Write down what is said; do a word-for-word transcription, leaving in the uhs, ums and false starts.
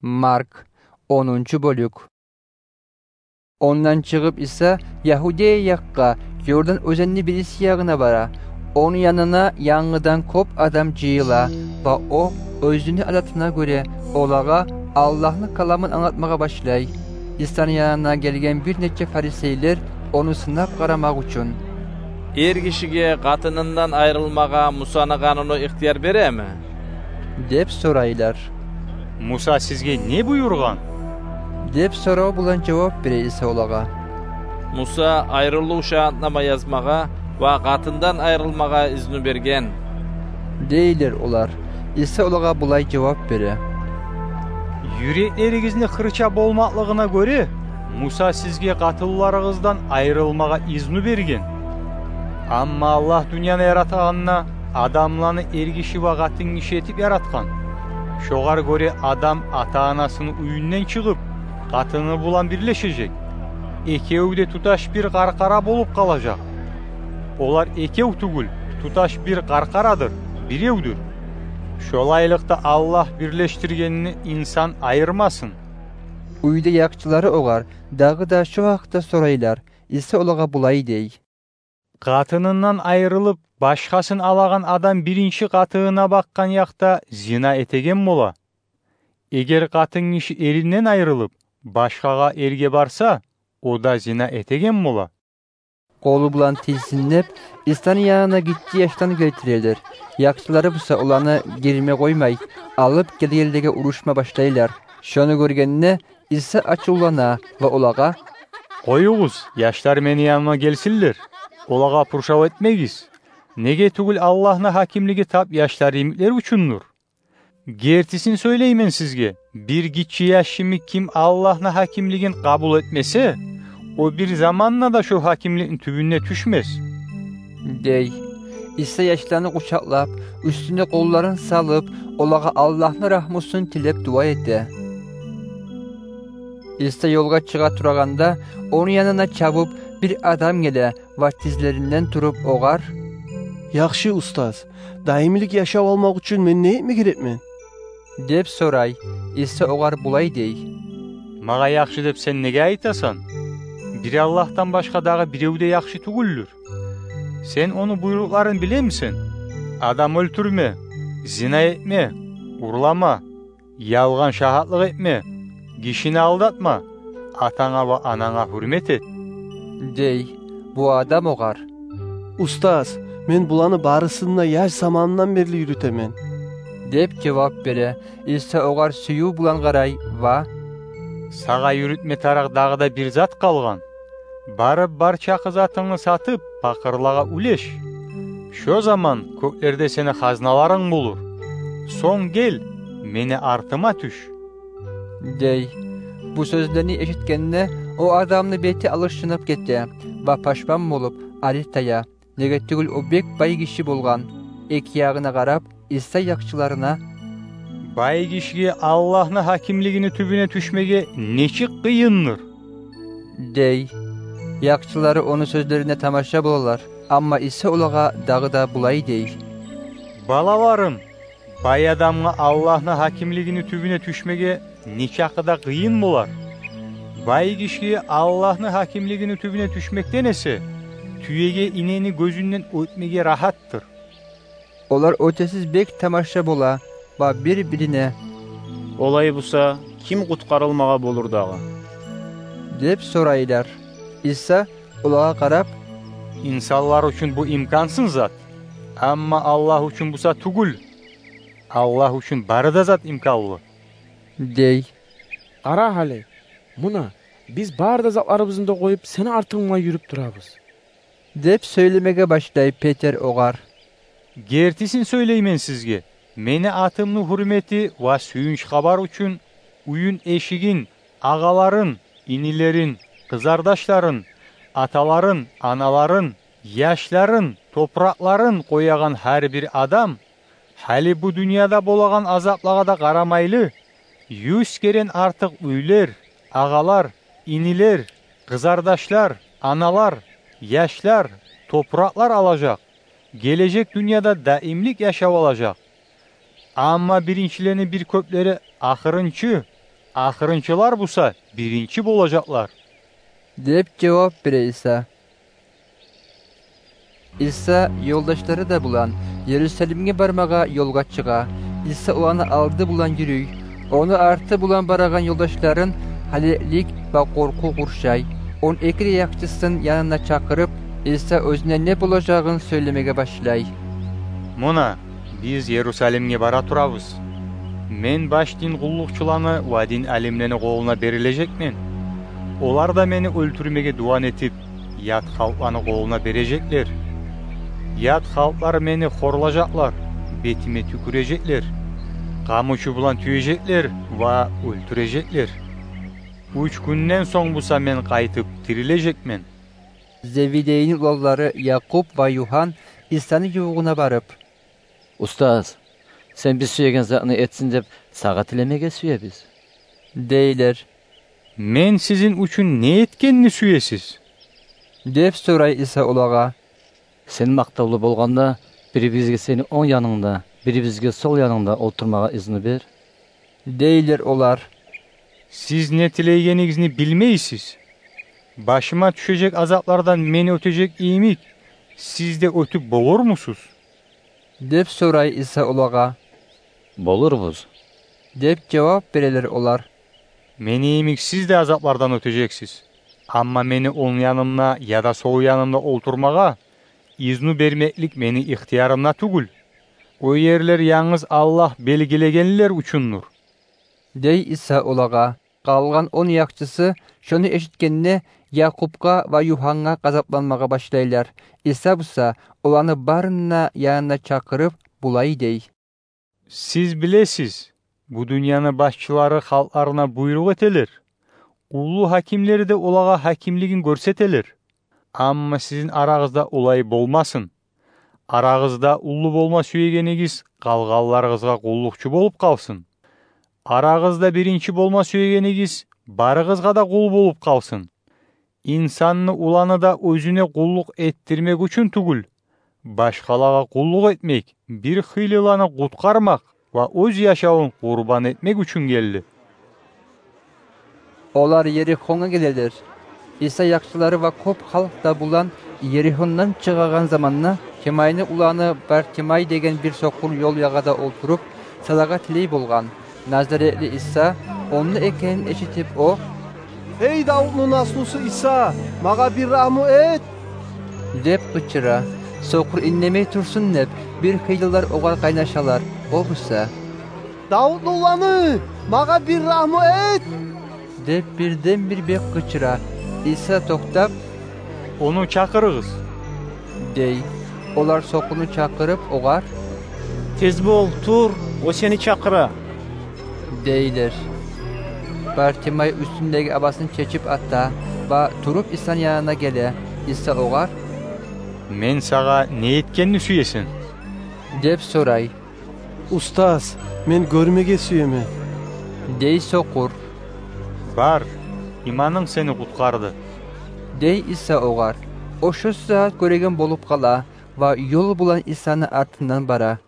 Марк, онунчу бёлюк. Ондан чыгъып, Иса Ягьудея якъгъа, Ёрдан оьзенни бириси ягъына бара. Ону янына янгыдан кёп адам жыйыла ва о, оьзюню адатына гёре, олагъа Аллагьны каламын англатмагъа башлай. Исаны янына гелген бир нече фарисейлер ону сынап къарамакъ учун: «Эргишиге къатынындан айрылмагъа Мусаны къануну ихтияр береми?» – деп сорайлар. «Муса сизге не буюргъан?» – деп сорав булан жавап бере Иса олагъа. «Муса айрылыв шагьатнама язмагъа ва къатындан айрылмагъа изну берген», – дейлер олар. Иса олагъа булай жавап бере: «Юреклеригизни хырча болмакълыгъына гёре Муса сизге къатынларыгъыздан айрылмагъа изну берген. Амма Аллагь дюньяны яратгъанда адамланы эргиши ва къатынгиши этип яратгъан. Шогъар гёре адам ата-анасыны уьюнден чыгъып, къатыны булан бирлешежек. Экев де туташ бир къаркъара болуп къалажакъ. Олар экев тюгюл, туташ бир къаркъарадыр, биревдюр. Шолайлыкъда Аллагь бирлешдиргенни инсан айырмасын». Уьйде якъчылары огъар дагъы да шо гьакъда сорайлар. Иса олагъа булай дей: «Къатынындан айрылып, башгъасын алагъан адам биринчи къатынына бакъгъан якъда зина этеген бола. Эгер къатынгиши эринден айрылып, башгъагъа эрге барса, о да зина этеген бола». Къолу булан тийсинлеп, Исаны янына гиччи яшланы гелтирелер. Якъчылары буса оланы гирме къоймай, алып гелгенлеге урушма башлайлар. Шону гёргенде, Иса ачувлана ва олагъа: «Къоюгъуз, яшлар мени яныма гелсинлер. Олагъа пуршав этмегиз. Неге тюгюл Аллагьны гьакимлиги тап яшлар йимиклер учундур. Гертисин сёйлеймен сизге: бир гиччи яш йимик ким Аллагьны гьакимлигин къабул этмесе, о бир заманда да шо гьакимликни тюбюне тюшмес», – дей. Иса яшланы къучакълап, уьстюне къолларын салып, олагъа Аллагьны рагьмусун тилеп дуа эте. Иса ёлгъа чыгъа турагъанда, ону янына чабып, бир адам геле ва тизлеринден туруп, огъар: «Яхшы устаз, даимлик яшав алмакъ учун мен не этме герекмен?» – деп сорай. Иса огъар булай дей: «Магъа яхшы деп сен неге айтасан? Бир Аллагьдан башгъа дагъы бирев де яхшы тюгюлдюр. Сен ону буйрукъларын билемисен? Адам оьлтюрме, зина этме, урлама, ялгъан шагьатлыкъ этме, гишини алдатма, атанга ва ананга гьюрмет эт», – дей. Бу адам огъар: «Устаз, мен буланы барысын да яш заманымдан берли юрютемен», – деп жавап бере. Иса огъар сююв булан къарай ва: «Сагъа юрютме тарыкъ дагъы да бир зат къалгъан. Барып, бар чакъы затынгны сатып, пакъырлагъа уьлеш. Шо заман кёклерде сени хазналарынг болур. Сонг гел, мени артыма тюш», – дей. Бу сёзлени эшитгенде, о адамны бети алышынып гете ва пашман болуп, ари тая. Неге тюгюл о бек бай гиши болгъан. Эки ягъына къарап, Иса якъчыларына: «Бай гишиге Аллагьны гьакимлигини тюбюне тюшмеге нечик къыйындыр!» – дей. Якъчылары ону сёзлерине тамаша болалар. Амма Иса олагъа дагъы да булай дей: «Балаларым, бай адамгъа Аллагьны гьакимлигини тюбюне тюшмеге нечакъы да къыйын болар. Бай гишиге Аллагьны гьакимлигини тюбюне тюшмекден эсе тюеге инени гёзюнден оьтмеге рагьаттыр». Олар оьтесиз бек тамаша бола ва бир-бирине: «Олай буса, ким къутгъарылмагъа болур дагъы?» – деп сорайлар. Иса олагъа къарап: «Инсанлар учун бу имкансыз зат, амма Аллагь учун буса тюгюл. Аллагь учун бары да зат имканлы», – дей. «Къара гьали, муна, биз бары да затларыбызны да къоюп, сени артынгда юрюп турабыз», – деп сёйлемеге башлай Петер огъар: «Гертисин сёйлеймен сизге, мени атымны гьюрмети ва сююнч хабар учун уьюн-эшигин, агъаларын, инилерин, къызардашларын, аталарын, аналарын, яшларын, топуракъларын къоягъан гьар бир адам, гьали бу дюньяда болагъан азаплагъа да къарамайлы, юз керен артыкъ уьйлер, агъалар, инилер, къызардашлар, аналар, яшлар, топуракълар алажакъ, гележек дюньяда даимлик яшав алажакъ. Амма биринчилени бир кёплери ахырынчы, ахырынчылар буса биринчи болажакълар», — деп жавап бере Иса. Иса ёлдашлары да булан Иерусалимге бармагъа ёлгъа чыгъа. Иса оланы алды булан юрюй. Ону арты булан барагъан ёлдашларын гьалеклик ва къоркъув къуршай. Он эки де якъчысын янына чакъырып, Иса оьзюне не болажагъын сёйлемеге башлай: «Муна, биз Иерусалимге бара турабыз. Мен баш дин къуллукъчуланы ва дин алимлени къолуна берилежекмен. Олар да мени оьлтюрмеге дуван этип, ят халкъланы къолуна бережеклер. Ят халкълар мени хорлажакълар, бетиме тюкюрежеклер, къамучу булан тюежеклер ва оьлтюрежеклер. Уьч гюнден сонг буса мен къайтып тирилежекмен». Зеведейни уланлары Якъуб ва Югьан Исаны ювугъуна барып: «Устаз, сен биз сюеген затны этсин деп, сагъа тилемеге сюебиз», — дейлер. «Мен сизин учун не этгенни сюесиз?» — деп сорай Иса олагъа. «Сен макътавлу болгъанда, бирибизге сени онг янынгда, бирибизге сол янынгда олтурмагъа изну бер», — дейлер олар. «Сиз не тилейгенигизни билмейсиз. Башыма тюшежек азаплардан мени оьтежек йимик, сиз де оьтюп болурмусуз?» — деп сорай Иса олагъа. «Болурбуз», — деп жавап берелер олар. «Мени йимик сиз де азаплардан оьтежексиз. Амма мени онг янымда яда сол янымда олтурмагъа изну бермеклик мени ихтиярымда тюгюл. О ерлер янгыз Аллагь белгилегенлер учундур», — дей Иса олагъа. Къалгъан он якъчысы, шону эшитгенде, Якъубгъа ва Югьангъа гъазапланмагъа башлайлар. Иса буса оланы барын да янына чакъырып, булай дей: «Сиз билесиз, бу дюньяны башчылары халкъларына буйрукъ этелер, уллу гьакимлери де олагъа гьакимлигин гёрсетелер. Амма сизин арагъызда олай болмасын. Арагъызда уллу болма сюегенигиз къалгъанларыгъызгъа къуллукъчу болуп къалсын. Арагъызда биринчи болма сюегенигиз барыгъызгъа да къул болуп къалсын. Инсанны Уланы да оьзюне къуллукъ этдирмек учун тюгюл, башгъалагъа къуллукъ этмек, бир хыйлыланы къутгъармакъ ва оьз яшавун къурбан этмек учун гелди». Олар Ерихонга гелелер. Иса якъчылары ва кёп халкъ да булан Ерихондан чыгъагъан заманда, Тимайны уланы Бартимай деген бир сокъур ёл ягъада олтуруп, садагъа тилей болгъан. Назаретлилер Иса онда экенин эшитип, о: «Эй, Давутну наслусу Иса, магъа бир рагьму эт!» — деп къычыра. Сокъур индемей турсун деп, бир хыйлылар огъар къайнашалар. О буса: «Давутну уланы, магъа бир рагьму эт!» — деп бирден-бир бек къычыра. Иса токътап: «Ону чакъырыгъыз», — дей. Олар сокъурну чакъырып, огъар: «Тез бол, тур, о сени чакъыра», — дейлер. Бартимай уьстюндеги абасын чечип ата ва туруп Исаны янына геле. Иса огъар: «Мен сагъа не этгенни сюесен?» — деп сорай. «Устаз, мен гёрмеге сюемен», — дей сокъур. «Бар, иманынг сени къутгъарды», — дей Иса огъар. О шо сагьат гёреген болуп къала ва ёл булан Исаны артындан бара.